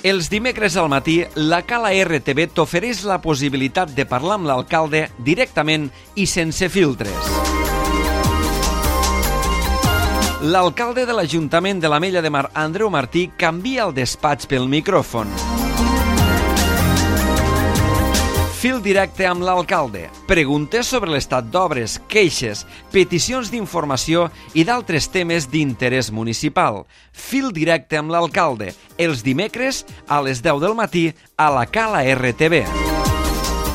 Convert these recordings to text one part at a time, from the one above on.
Els dimecres al matí, la Cala RTV t'ofereix la possibilitat de parlar amb l'alcalde directament i sense filtres. L'alcalde de l'Ajuntament de l'Ametlla de Mar, Andreu Martí, canvia el despatx pel micròfon. Fil directe amb l'alcalde. Preguntes sobre l'estat d'obres, queixes, peticions d'informació i d'altres temes d'interès municipal. Fil directe amb l'alcalde. Els dimecres a les 10 del matí a la Cala RTV.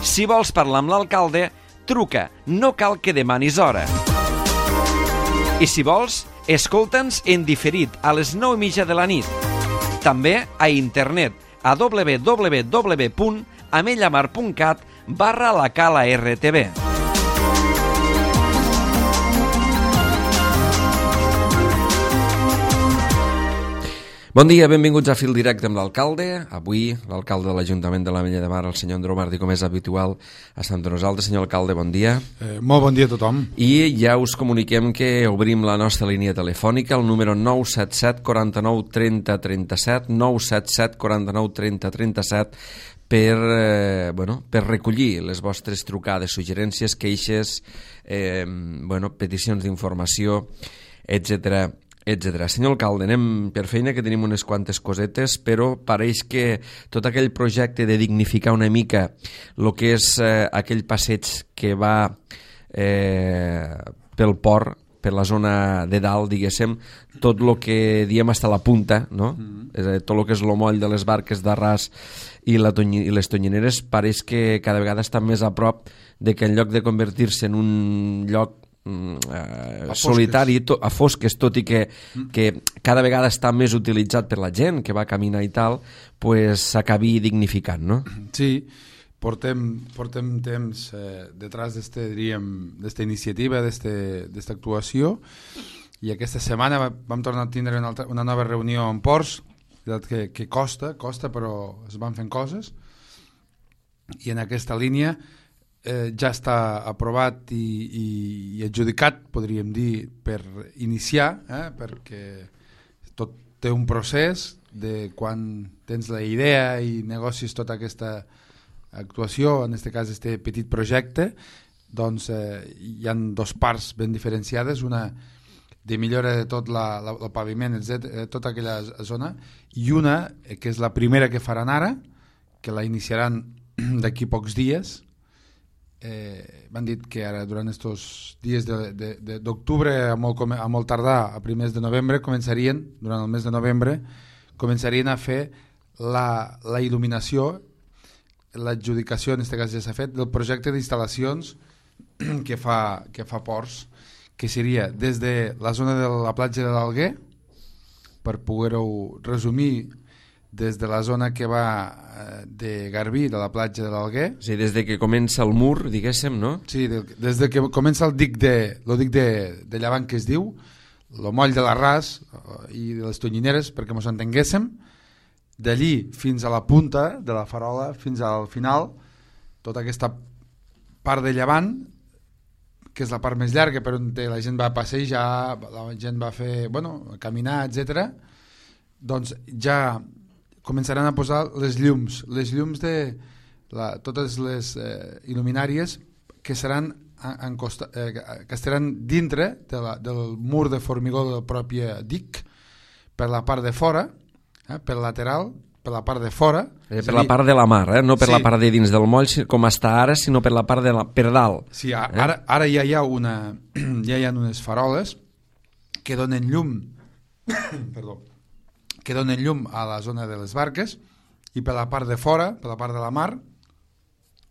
Si vols parlar amb l'alcalde, truca. No cal que demanis hora. I si vols, escolta'ns en diferit a les 9:30 de la nit. També a internet a www.amellamar.cat/la Cala RTV. Bon dia, benvinguts a Fil Directe amb l'alcalde. Avui l'alcalde de l'Ajuntament de l'Ametlla de Mar, el senyor Andreu Martí, com és habitual, està amb nosaltres. Senyor alcalde, bon dia. Molt bon dia a tothom. I ja us comuniquem que obrim la nostra línia telefònica, el número 977 49 30 37, 977 49 30 37, per recollir les vostres trucades, suggerències, queixes, peticions d'informació, etcètera. Senyor alcalde, anem per feina, que tenim unes quantes cosetes, però pareix que tot aquell projecte de dignificar una mica el que és aquell passeig que va pel port, per la zona de dalt, diguéssim, tot el que diem hasta la punta, no? Tot el que és el moll de les barques d'Arràs i les tonyineres, pareix que cada vegada està més a prop de que en lloc de convertir-se en un lloc solitari, a fosques, tot i que cada vegada està més utilitzat per la gent que va caminar i tal, s'acabi dignificant, no? Sí, portem temps detrás d'esta iniciativa, d'esta actuació, i aquesta setmana vam tornar a tindre una nova reunió en ports, que costa, però es van fent coses, i en aquesta línia ja està aprovat i adjudicat, podríem dir, per iniciar, perquè tot té un procés de quan tens la idea i negocis tota aquesta actuació, en aquest cas aquest petit projecte, doncs hi ha dues parts ben diferenciades, una de millora de tot el paviment, etc., tota aquella zona, i una que és la primera que faran ara, que la iniciaran d'aquí pocs dies. M'han dit que ara durant aquests dies d'octubre a molt tardar, a primers de novembre, durant el mes de novembre començarien a fer la il·luminació, l'adjudicació, en aquest cas ja s'ha fet, del projecte d'instal·lacions que fa Ports, que seria des de la zona de la platja de l'Alguer, per poder-ho resumir, des de la zona que va de Garbí, de la platja de l'Alguer. Sí, des de que comença el mur, diguéssim, no? Sí, des de que comença el dic de llevant, que es diu, el moll de l'Arràs i de les Tonyineres, perquè ens entenguéssim, d'allí fins a la punta de la farola, fins al final, tota aquesta part de llevant, que és la part més llarga, per on la gent va passejar, la gent va fer, caminar, etc. Doncs ja començaran a posar les llums de totes les il·luminàries que estaran dintre del mur de formigó del propi dic, per la part de fora, per lateral, per la part de fora. Per la part de la mar, no per la part de dins del moll, com està ara, sinó per la part per dalt. Sí, ara ja hi ha unes faroles que donen llum que donen llum a la zona de les barques, i per la part de fora, per la part de la mar,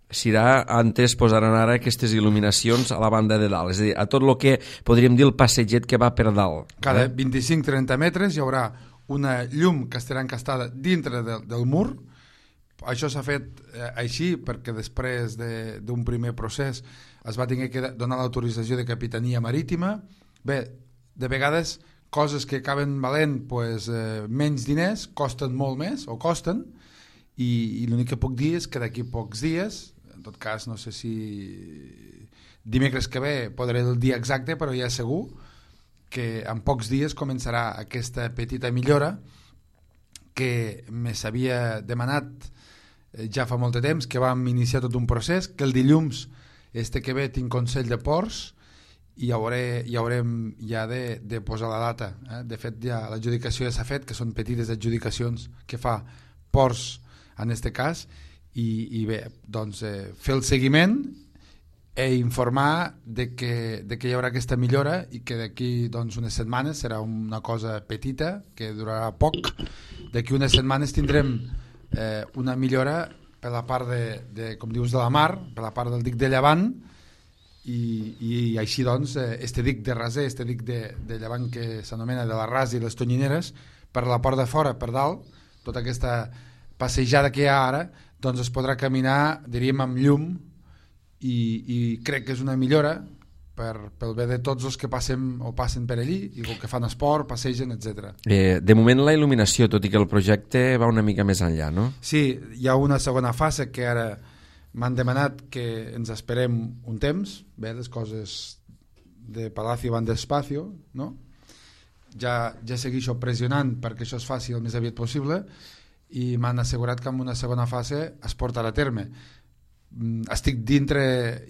antes posaran ara aquestes il·luminacions a la banda de dalt, és a dir, a tot el que podríem dir el passeget que va per dalt. Cada 25-30 metres hi haurà una llum que estarà encastada dintre del mur. Això s'ha fet així perquè després d'un primer procés es va haver que donar l'autorització de Capitania Marítima. Bé, de vegades coses que acaben valent menys diners costen molt més, o costen, i l'únic que puc dir és que d'aquí pocs dies, en tot cas no sé si dimecres que ve podré el dia exacte, però ja segur que en pocs dies començarà aquesta petita millora que me s'havia demanat ja fa molt de temps, que vam iniciar tot un procés, que el dilluns que ve tinc Consell de Ports i haurem ja de posar la data. De fet, ja l'adjudicació ja s'ha fet, que són petites adjudicacions que fa Ports en aquest cas, i bé, doncs fer el seguiment informar de que hi haurà aquesta millora i que d'aquí doncs, unes setmanes serà una cosa petita que durarà poc. D'aquí unes setmanes tindrem una millora per la part com dius, de la mar, per la part del dic de Llevant, i així doncs este dic de Raser, este dic de Llevant que s'anomena de la Ras i les Tonyineres, per la part de fora, per dalt, tota aquesta passejada que hi ha ara, doncs es podrà caminar, diríem, amb llum, i crec que és una millora pel bé de tots els que passen per allí i els que fan esport, passegen, etc. De moment la il·luminació, tot i que el projecte va una mica més enllà, no? Sí, hi ha una segona fase que ara m'han demanat que ens esperem un temps, bé, les coses de Palacio van despacio, no? Ja segueixo pressionant perquè això es faci el més aviat possible i m'han assegurat que en una segona fase es portarà a terme. Estic dintre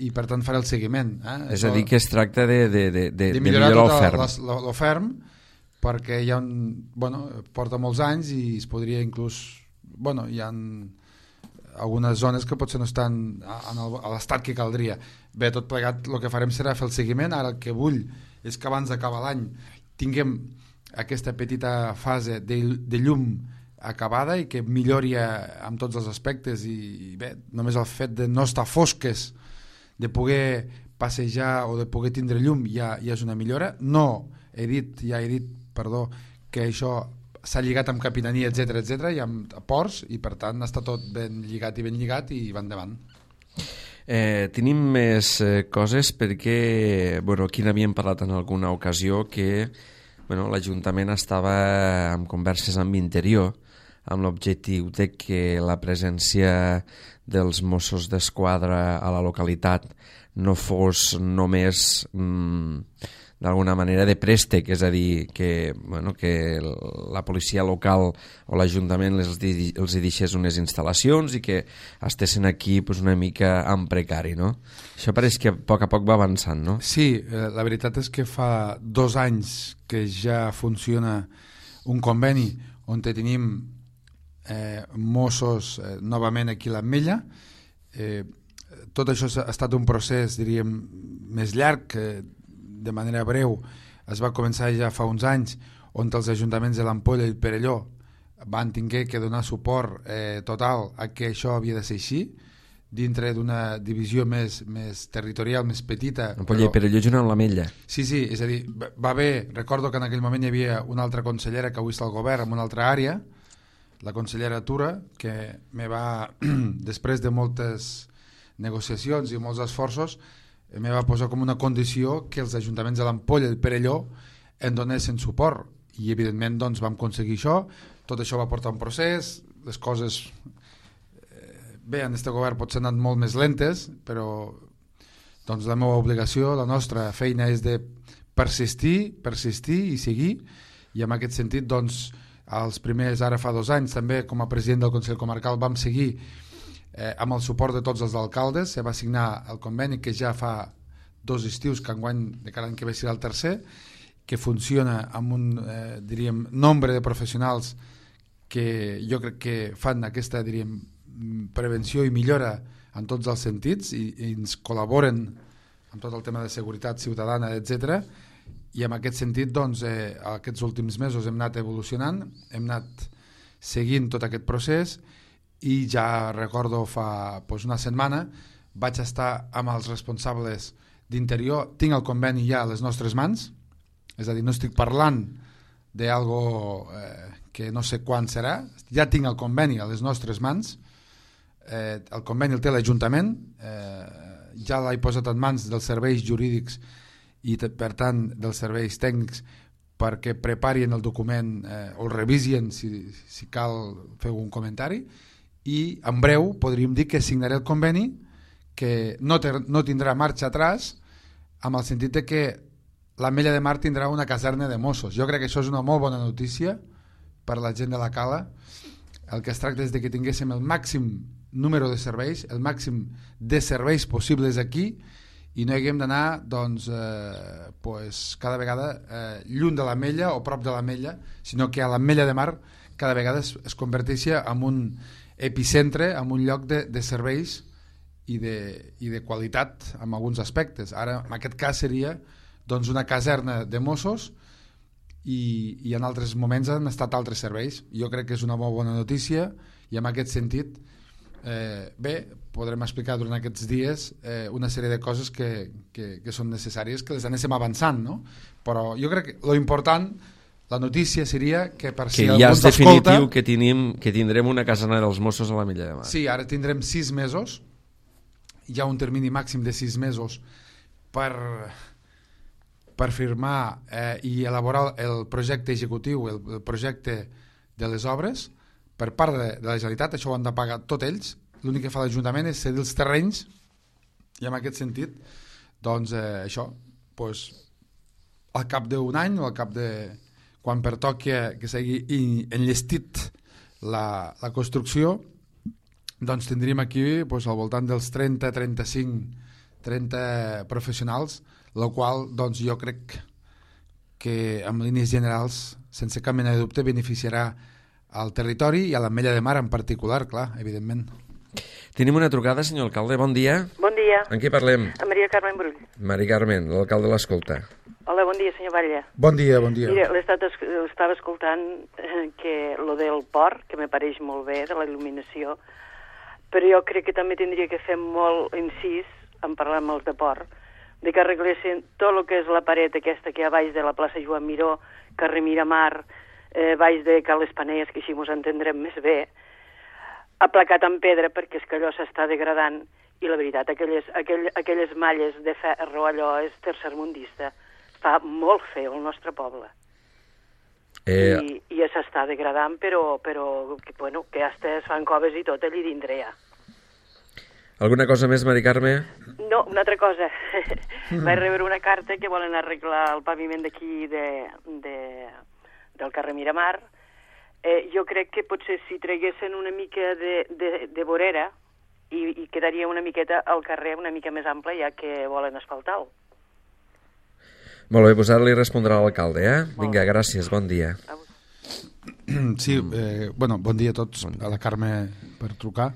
i per tant faré el seguiment. És a dir, que es tracta de millorar el ferm, perquè hi ha porta molts anys i es podria inclús hi ha algunes zones que potser no estan a l'estat que caldria. Bé, tot plegat el que farem serà fer el seguiment. Ara el que vull és que abans d'acabar l'any tinguem aquesta petita fase de llum acabada i que millori amb tots els aspectes, i bé, només el fet de no estar fosques, de poder passejar o de poder tindre llum ja és una millora. He dit que això s'ha lligat amb capitania, etc i amb ports, i per tant està tot ben lligat i va endavant. Tenim més coses perquè aquí n'havíem parlat en alguna ocasió que l'Ajuntament estava en converses amb Interior amb l'objectiu de que la presència dels Mossos d'Esquadra a la localitat no fos només d'alguna manera de préstec, és a dir, que la policia local o l'Ajuntament els deixés unes instal·lacions i que estessin aquí una mica en precari, no? Això pareix que a poc va avançant, no? Sí, la veritat és que fa 2 anys que ja funciona un conveni on tenim Mossos novament aquí a l'Ametlla. Tot això ha estat un procés, diríem, més llarg, que de manera breu es va començar ja fa uns anys, on els ajuntaments de l'Ampolla i el Perelló van haver que donar suport total a que això havia de ser així, dintre d'una divisió més territorial, més petita. Ampolla i Perelló junt amb l'Ametlla. Sí, és a dir, recordo que en aquell moment hi havia una altra consellera que avui està al govern en una altra àrea, la consellera Tura, que després de moltes negociacions i molts esforços, me va posar com una condició que els ajuntaments de l'Ampolla i el Perelló en donessin suport, i evidentment doncs vam aconseguir això. Tot això va portar un procés, les coses bé, en aquest govern potser han anat molt més lentes, però doncs la meva obligació, la nostra feina és de persistir i seguir, i en aquest sentit doncs els primers, ara fa 2 anys també com a president del Consell Comarcal vam seguir amb el suport de tots els alcaldes. Se va signar el conveni que ja fa 2 estius, que enguany de cada any que ve serà el tercer, que funciona amb un diríem, nombre de professionals que jo crec que fan aquesta diríem, prevenció i millora en tots els sentits i ens col·laboren amb tot el tema de seguretat ciutadana, etc. I en aquest sentit, doncs, aquests últims mesos hem anat evolucionant, hem anat seguint tot aquest procés, i ja recordo fa una setmana vaig estar amb els responsables d'Interior. Tinc el conveni ja a les nostres mans, és a dir, no estic parlant d'algo que no sé quan serà, ja tinc el conveni a les nostres mans. El conveni el té l'Ajuntament, ja l'he posat en mans dels serveis jurídics i per tant dels serveis tècnics perquè preparin el document o el revisin si cal fer un comentari, i en breu podríem dir que signaré el conveni, que no tindrà marxa atràs, amb el sentit de que l'Ametlla de Mar tindrà una caserna de Mossos. Jo crec que això és una molt bona notícia per la gent de la Cala. El que es tracta és de que tinguéssim el màxim número de serveis, el màxim de serveis possibles aquí, i no haguem d'anar doncs, cada vegada lluny de l'Ametlla o prop de l'Ametlla, sinó que a l'Ametlla de Mar cada vegada es converteixi en un epicentre, en un lloc de serveis i de qualitat en alguns aspectes. Ara, en aquest cas, seria doncs, una caserna de Mossos i en altres moments han estat altres serveis. Jo crec que és una molt bona notícia i en aquest sentit podrem explicar durant aquests dies una sèrie de coses que són necessàries, que les anéssim avançant, no? Però jo crec que l'important, la notícia seria que per si algú ens escolta... Que ja és definitiu que tindrem una caserna dels Mossos a l'Ametlla de Mar. Sí, ara tindrem 6 mesos, hi ha un termini màxim de 6 mesos per firmar i elaborar el projecte executiu, el projecte de les obres per part de la Generalitat. Això ho han de pagar tots ells. L'únic que fa l'Ajuntament és cedir els terrenys i en aquest sentit doncs això al cap d'un any o al cap de quan pertoqui que s'hagi enllestit la construcció, doncs tindríem aquí al voltant dels 30 professionals, el qual doncs, jo crec que en línies generals, sense cap mena de dubte, beneficiarà al territori i a l'Ametlla de Mar en particular, clar, evidentment. Tenim una trucada, senyor alcalde, bon dia. Bon dia. En qui parlem? A Maria Carmen Brull. Maria Carmen, l'alcalde l'escolta. Hola, bon dia, senyor Batlle. Bon dia, bon dia. Mira, estava escoltant que lo del port, que me pareix molt bé, de la il·luminació, però jo crec que també tindria que fer molt incís, en parlar amb els de port, de que arreglessin tot el que és la paret aquesta que hi ha baix de la plaça Joan Miró, carrer Miramar, baix de Cal Espanelles, que així mos entendrem més bé, aplacat en pedra, perquè és que allò s'està degradant, i la veritat, aquelles malles de ferro, allò és tercermundista. Fa molt feo el nostre poble. I s'està degradant, però bueno, que ja es fan coves i tot allí dintre ja. Alguna cosa més, Mari Carme? No, una altra cosa. Vaig rebre una carta que volen arreglar el paviment d'aquí del carrer Miramar. Jo crec que potser si traguessin una mica de vorera i quedaria una miqueta al carrer una mica més ample, ja que volen asfaltar-lo. Molt bé, doncs ara li respondrà l'alcalde, Vinga, gràcies, bon dia. Sí, bon dia a tots, a la Carme per trucar.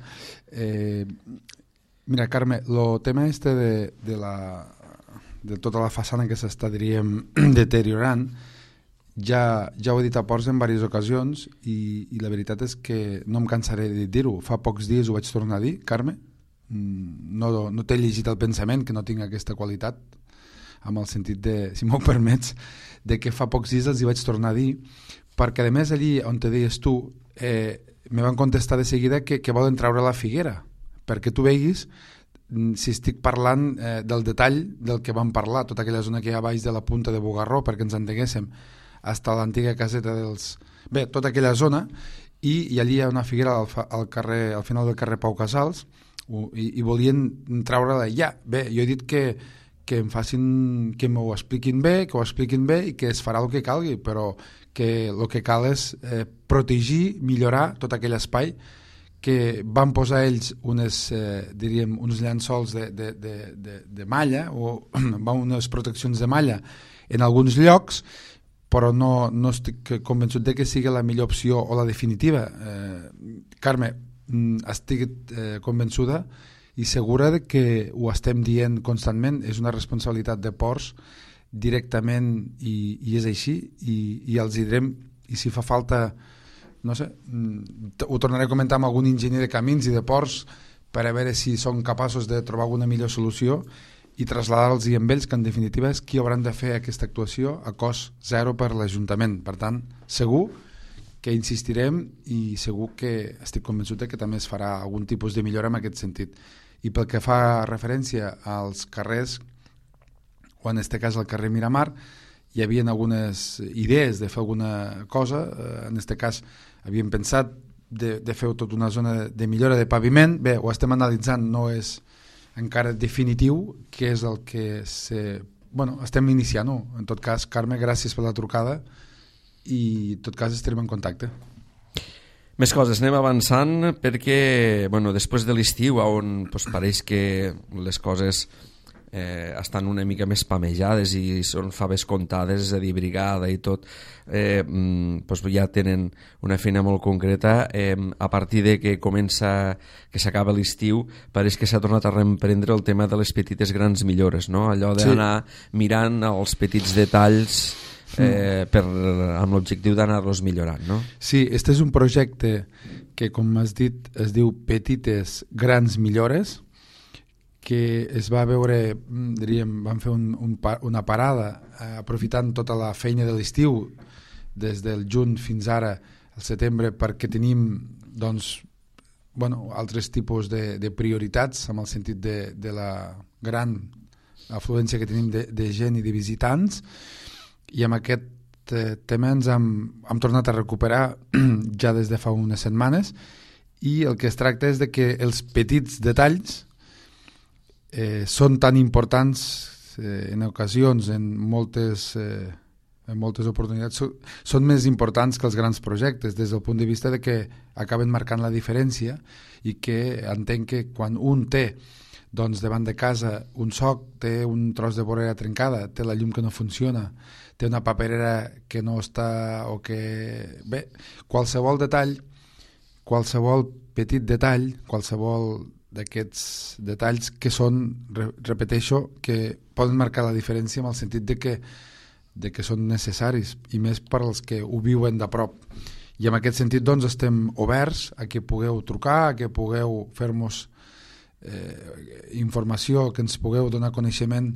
Mira, Carme, el tema de tota la façana que s'està, diríem, deteriorant, ja ho he dit a Ports en diverses ocasions i la veritat és que no em cansaré de dir-ho. Fa pocs dies ho vaig tornar a dir, Carme. No t'he llegit el pensament, que no tinc aquesta qualitat, amb el sentit de, si m'ho permets, de que fa pocs dies els hi vaig tornar a dir, perquè a més allí on te deies tu me van contestar de seguida que volen treure la figuera, perquè tu veguis si estic parlant del detall del que vam parlar, tota aquella zona que hi ha baix de la punta de Bugarró, perquè ens entenguéssim, fins a l'antiga caseta dels... Bé, tota aquella zona, i allí hi ha una figuera al final del carrer Pau Casals, i volien treure-la ja. Bé, jo he dit que m'ho expliquin bé, i que es farà el que calgui, però que el que cal és protegir, millorar tot aquell espai que van posar ells uns llençols de malla o unes proteccions de malla en alguns llocs, però no estic convençut de que sigui la millor opció o la definitiva. Carme, estic convençuda i segura de que ho estem dient constantment, és una responsabilitat de Ports directament i és així, i els direm, i si fa falta, no sé, ho tornaré a comentar amb algun enginyer de camins i de ports per a veure si són capaços de trobar alguna millor solució i traslladar-los amb ells, que en definitiva és qui hauran de fer aquesta actuació a cost zero per l'Ajuntament. Per tant, segur que insistirem i segur que estic convençut que també es farà algun tipus de millora en aquest sentit. I pel que fa referència als carrers, o en aquest cas al carrer Miramar, hi havia algunes idees de fer alguna cosa. En aquest cas havíem pensat de fer tota una zona de millora de paviment. Bé, ho estem analitzant, no és encara definitiu, que és el que estem iniciant-ho. En tot cas, Carme, gràcies per la trucada i en tot cas estarem en contacte. Més coses, anem avançant perquè després de l'estiu on pareix que les coses estan una mica més pamejades i són faves comptades, és a dir, brigada i tot, ja tenen una feina molt concreta. A partir de que s'acaba l'estiu, pareix que s'ha tornat a reemprendre el tema de les petites grans millores, no? Allò d'anar mirant els petits detalls amb l'objectiu d'anar-los millorant, no? Sí, este és un projecte que, com has dit, es diu Petites Grans Millores, que es va veure, vam fer una parada aprofitant tota la feina de l'estiu des del juny fins ara al setembre, perquè tenim altres tipus de prioritats en el sentit de la gran afluència que tenim de gent i de visitants, i amb aquest tema ens hem tornat a recuperar ja des de fa unes setmanes, i el que es tracta és de que els petits detalls són tan importants en ocasions, en moltes oportunitats, són més importants que els grans projectes, des del punt de vista de que acaben marcant la diferència, i que entenc que quan un té davant de casa un soc, té un tros de vorera trencada, té la llum que no funciona, té una paperera que no està, o que... Bé, qualsevol detall, qualsevol petit detall, qualsevol d'aquests detalls que són, repeteixo, que poden marcar la diferència en el sentit de que són necessaris, i més per als que ho viuen de prop. I en aquest sentit estem oberts a que pugueu trucar, a que pugueu fer-nos informació, que ens pugueu donar coneixement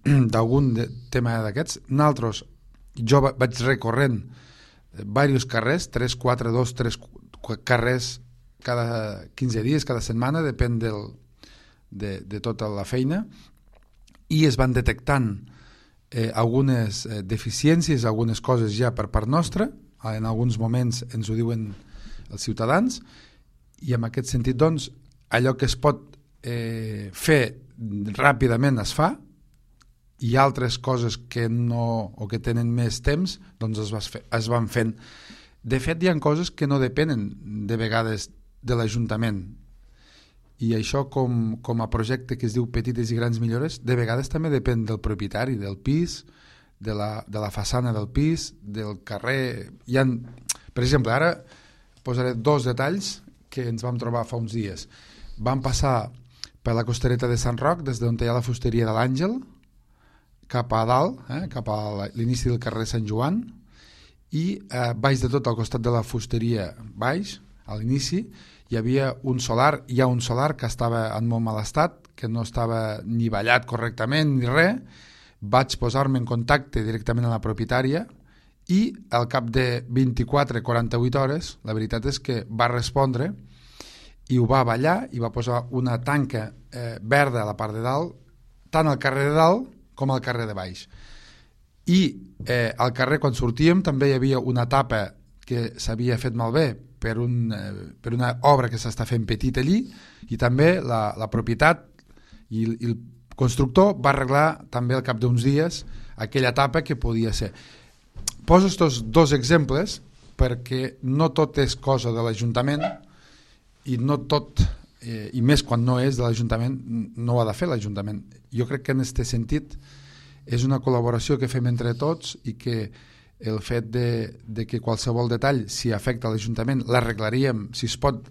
d'algun tema d'aquests. Nosaltres, jo vaig recorrent diversos carrers, 3 carrers cada 15 dies, cada setmana, depèn de tota la feina, i es van detectant algunes deficiències, algunes coses ja per part nostra, en alguns moments ens ho diuen els ciutadans, i en aquest sentit, allò que es pot fer ràpidament es fa, i altres coses que no, o que tenen més temps, es van fent. De fet, hi ha coses que no depenen de vegades de l'Ajuntament, i això com a projecte que es diu Petites i Grans Millores, de vegades també depèn del propietari del pis, de la façana del pis, del carrer. Per exemple, ara posaré 2 detalls que ens vam trobar fa uns dies. Vam passar per la costereta de Sant Roc, des d'on hi ha la fusteria de l'Àngel, cap a dalt, cap a l'inici del carrer Sant Joan, i baix de tot, al costat de la fusteria baix, a l'inici, hi havia un solar, hi ha un solar que estava en molt mal estat, que no estava ni ballat correctament ni res. Vaig posar-me en contacte directament amb la propietària, i al cap de 24-48 hores, la veritat és que va respondre i ho va ballar, i va posar una tanca verda a la part de dalt, tant al carrer de dalt com al carrer de baix. I al carrer, quan sortíem, també hi havia una tapa que s'havia fet malbé per una obra que s'està fent petit allí, i també la propietat i el constructor va arreglar també al cap d'uns dies aquella tapa que podia ser. Poso aquests 2 exemples perquè no tot és cosa de l'Ajuntament, i no tot, i més quan no és de l'Ajuntament, no ho ha de fer l'Ajuntament. Jo crec que en aquest sentit és una col·laboració que fem entre tots, i que el fet de que qualsevol detall, si afecta l'Ajuntament, l'arreglaríem, si es pot,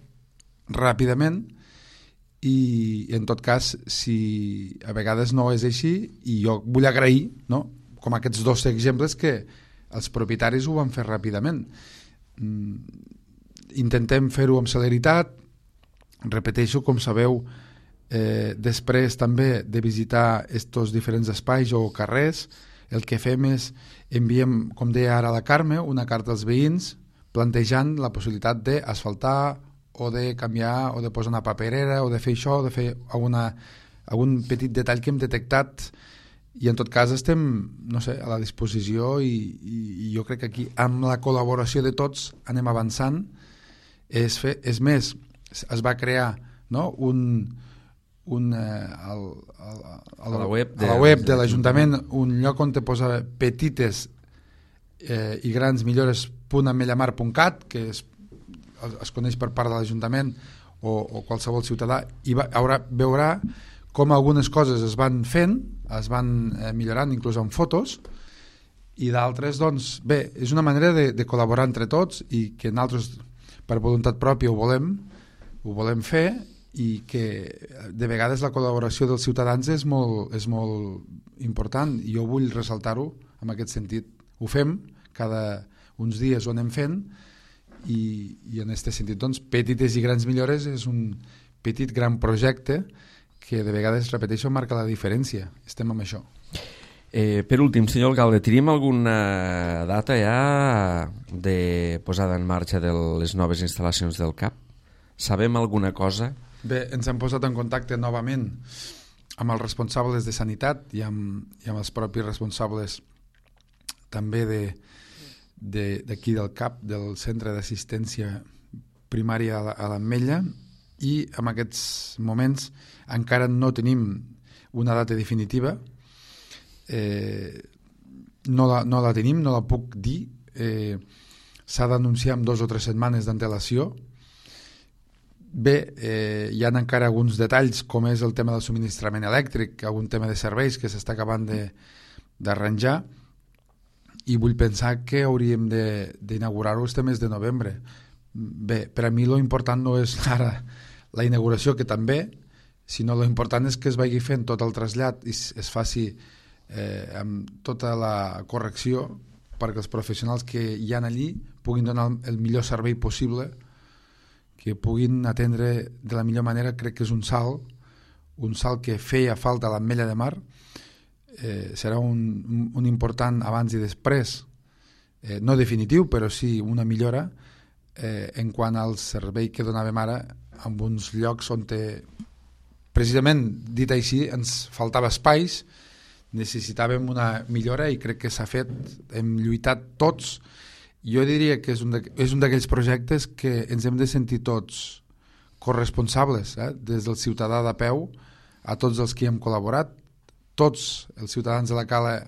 ràpidament, i en tot cas, si a vegades no és així, i jo vull agrair, no?, com aquests 2 exemples, que els propietaris ho van fer ràpidament. Intentem fer-ho amb celeritat, repeteixo, com sabeu, després també de visitar estos diferents espais o carrers, el que fem és enviem, com deia ara la Carme, una carta als veïns plantejant la possibilitat d'asfaltar, o de canviar, o de posar una paperera, o de fer això, o de fer algun petit detall que hem detectat, i en tot cas estem, no sé, a la disposició, i jo crec que aquí, amb la col·laboració de tots, anem avançant. És més, es va crear, no?, a la web de l'Ajuntament un lloc on te posa petites i gransmillores.ametlamar.cat, que es coneix per part de l'Ajuntament o qualsevol ciutadà, i veurà com algunes coses es van fent, es van millorant inclús amb fotos, i d'altres, doncs, bé, és una manera de col·laborar entre tots i que nosaltres, per voluntat pròpia, ho volem fer, i que de vegades la col·laboració dels ciutadans és molt important, i jo vull ressaltar-ho en aquest sentit. Ho fem, cada uns dies ho anem fent, i en aquest sentit, doncs, petites i grans millores és un petit gran projecte que de vegades, repeteixo, marca la diferència. Estem amb això. Per últim, senyor alcalde, tenim alguna data ja de posada en marxa de les noves instal·lacions del CAP? Sabem alguna cosa? Bé, ens hem posat en contacte novament amb els responsables de sanitat i amb els propis responsables també d'aquí del CAP, del Centre d'Assistència Primària a l'Ametlla, i en aquests moments encara no tenim una data definitiva. No la tenim, no la puc dir. S'ha d'anunciar amb 2 o 3 setmanes d'antelació. Bé, hi ha encara alguns detalls, com és el tema del subministrament elèctric, algun tema de serveis que s'està acabant d'arranjar, i vull pensar que hauríem d'inaugurar-ho este mes de novembre. Bé, per a mi l'important no és ara la inauguració, que també, sinó l'important és que es vagi fent tot el trasllat i es faci amb tota la correcció perquè els professionals que hi ha allí puguin donar el millor servei possible, que puguin atendre de la millor manera. Crec que és un salt que feia falta a l'Ametlla de Mar. Serà un important abans i després, no definitiu, però sí una millora en quant al servei que donàvem ara en uns llocs on precisament, dit així, ens faltava espais, necessitàvem una millora, i crec que s'ha fet. Hem lluitat tots. Jo diria que és un d'aquells projectes que ens hem de sentir tots corresponsables, des del ciutadà de peu a tots els que hi hem col·laborat. Tots els ciutadans de la Cala,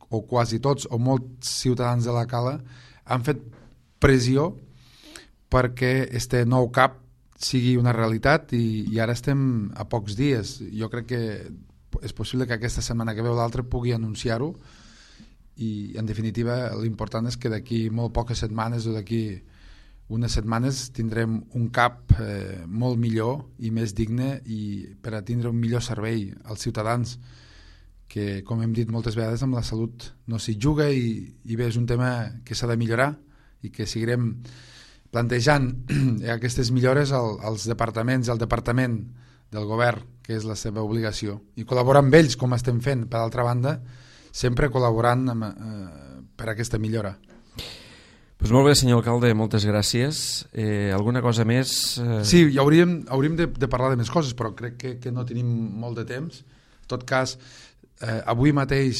o quasi tots, o molts ciutadans de la Cala, han fet pressió perquè este nou CAP sigui una realitat, i ara estem a pocs dies. Jo crec que és possible que aquesta setmana que ve o l'altra pugui anunciar-ho, i en definitiva l'important és que d'aquí molt poques setmanes o d'aquí unes setmanes tindrem un CAP molt millor i més digne, i per a tindre un millor servei als ciutadans, que, com hem dit moltes vegades, amb la salut no s'hi juga, i bé, és un tema que s'ha de millorar i que seguirem plantejant aquestes millores als departaments, al departament del govern, que és la seva obligació, i col·laborar amb ells, com estem fent, per altra banda, sempre col·laborant per aquesta millora. Pues molt bé, senyor alcalde, moltes gràcies. Alguna cosa més? Sí, hauríem de parlar de més coses, però crec que no tenim molt de temps. En tot cas, avui mateix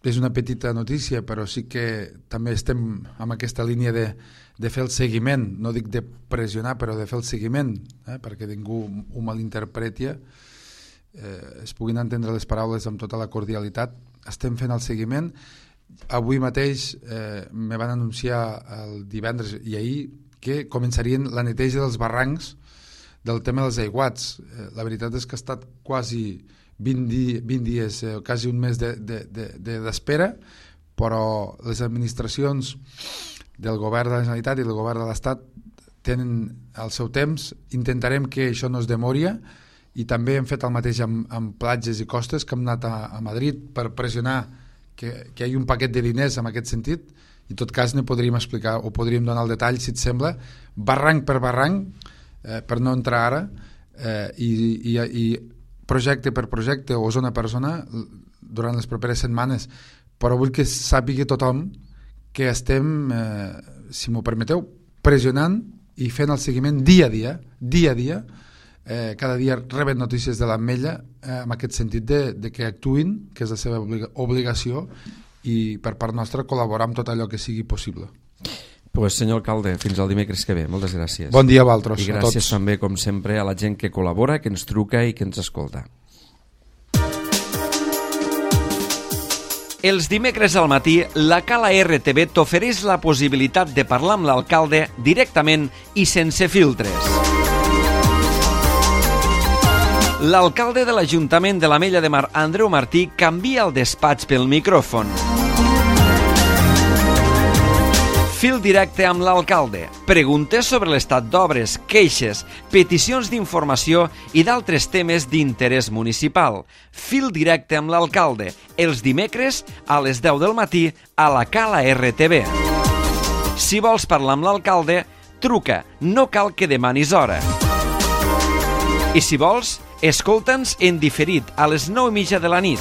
és una petita notícia, però sí que també estem amb aquesta línia de fer el seguiment, no dic de pressionar, però de fer el seguiment, perquè ningú ho malinterpreti, es puguin entendre les paraules amb tota la cordialitat. Estem fent el seguiment. Avui mateix me van anunciar el divendres i ahir que començarien la neteja dels barrancs del tema dels aiguats. La veritat és que ha estat quasi 20 dies, quasi un mes d'espera, però les administracions del govern de la Generalitat i del govern de l'Estat tenen el seu temps. Intentarem que això no es demori, i també hem fet el mateix amb platges i costes, que hem anat a Madrid per pressionar que hi hagi un paquet de diners en aquest sentit. En tot cas, ne podríem explicar o podríem donar el detall, si et sembla, barranc per barranc, per no entrar ara, i projecte per projecte o zona per zona durant les properes setmanes. Però vull que sàpiga tothom que estem, si m'ho permeteu, pressionant i fent el seguiment dia a dia. Cada dia reben notícies de l'Ametlla en aquest sentit de que actuïn, que és la seva obligació, i per part nostra col·laborar amb tot allò que sigui possible. Pues, senyor alcalde, fins al dimecres que ve. Moltes gràcies. Bon dia a vosaltres. I gràcies també, com sempre, a la gent que col·labora, que ens truca i que ens escolta. Els dimecres al matí, la Cala RTV t'ofereix la possibilitat de parlar amb l'alcalde directament i sense filtres. L'alcalde de l'Ajuntament de l'Ametlla de Mar, Andreu Martí, canvia el despatx pel micròfon. Fil directe amb l'alcalde. Preguntes sobre l'estat d'obres, queixes, peticions d'informació i d'altres temes d'interès municipal. Fil directe amb l'alcalde. Els dimecres a les 10 del matí a la Cala RTV. Si vols parlar amb l'alcalde, truca. No cal que demanis hora. I si vols, escolta'ns en diferit a les 9:30 de la nit.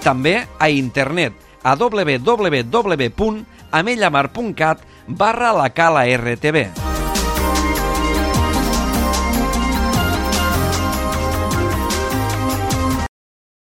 També a internet a www.amellamar.cat/la Cala RTV.